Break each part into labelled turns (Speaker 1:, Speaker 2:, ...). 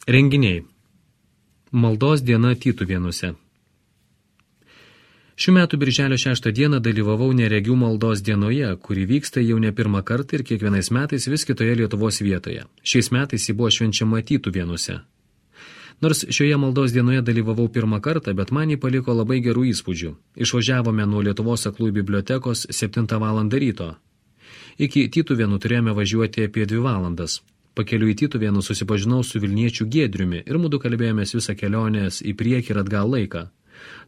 Speaker 1: Renginiai. Maldos diena Tytuvėnuose. Šių metų birželio 6 dieną dalyvavau neregių maldos dienoje, kuri vyksta jau ne pirmą kartą ir kiekvienais metais vis kitoje Lietuvos vietoje. Šiais metais ji buvo švenčiama Tytuvėnuose. Nors šioje maldos dienoje dalyvavau pirmą kartą, bet man jį paliko labai gerų įspūdžių. Išvažiavome nuo Lietuvos aklųjų bibliotekos 7 val. Ryto. Iki Tytuvėnų turėjome važiuoti apie 2 valandas. Pakeliu į Tytuvėnų susipažinau su Vilniečiu Giedriumi ir mudu kalbėjomės visą kelionės į priekį ir atgal laiką.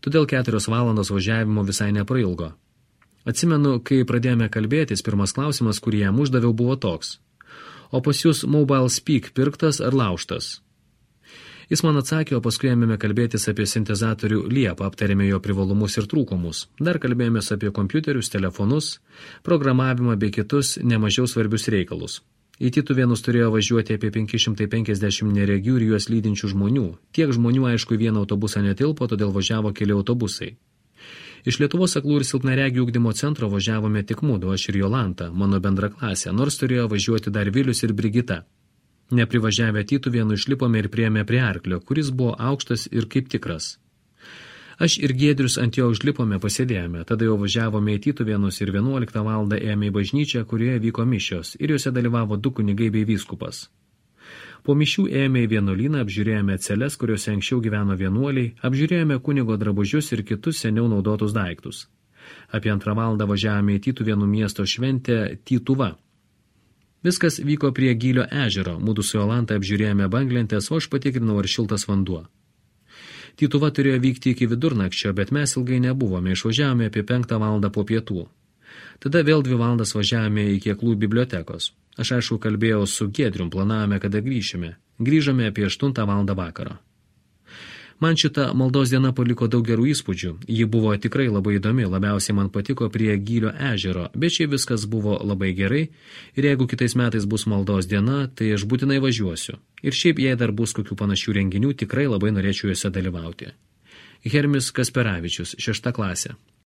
Speaker 1: Todėl 4 valandos važiavimo visai neprailgo. Atsimenu, kai pradėjome kalbėtis, pirmas klausimas, kurį jam uždaviau, buvo toks: o pas jūs Mobile Speak pirktas ar laužtas? Jis man atsakė, o paskui ėmėme kalbėtis apie sintezatorių Liepą, aptarėme jo privalumus ir trūkumus. Dar kalbėjomės apie kompiuterius, telefonus, programavimą bei kitus nemažiau svarbius reikalus. Į Tytuvėnus turėjo važiuoti apie 550 neregių ir juos lydinčių žmonių. Tiek žmonių, aišku, į vieną autobusą netilpo, todėl važiavo keli autobusai. Iš Lietuvos aklų ir silpnaregių ugdymo centro važiavome tik mudu, aš ir Jolanta, mano bendraklasė, nors turėjo važiuoti dar Vilius ir Brigita. Neprivažiavę Tytuvėnų išlipome ir priėjome prie arklio, kuris buvo aukštas ir kaip tikras. Aš ir Giedrius ant jo užlipome, pasėdėjome, tada jau važiavome į Tytuvėnus ir 11 val. Ėjome į bažnyčią, kurioje vyko mišios, ir juose dalyvavo 2 kunigai bei vyskupas. Po mišių ėjome į vienuolyną, apžiūrėjome celes, kuriuose anksčiau gyveno vienuoliai, apžiūrėjome kunigo drabužius ir kitus seniau naudotus daiktus. Apie 2 val. Važiavome į Tytuvėnų miesto šventę Tytuva. Viskas vyko prie Gylio ežero, mudu su Jolanta apžiūrėjome banglentės, o aš patikrinau, ar šiltas vanduo. Tytuva turėjo vykti iki vidurnakčio, bet mes ilgai nebuvome, išvažiavome apie 5 val. Po pietų. Tada vėl 2 valandas važiavome iki aklųjų bibliotekos. Aš aišku kalbėjau su Giedrium, planavome, kada grįšime. Grįžome apie 8 val. Vakaro. Man šita maldos diena paliko daug gerų įspūdžių. Ji buvo tikrai labai įdomi, labiausiai man patiko prie Gylio ežero, bet šiaip viskas buvo labai gerai ir jeigu kitais metais bus maldos diena, tai aš būtinai važiuosiu. Ir šiaip jei dar bus kokių panašių renginių, tikrai labai norėčiau juose dalyvauti. Hermis Kasperavičius, 6 klasė.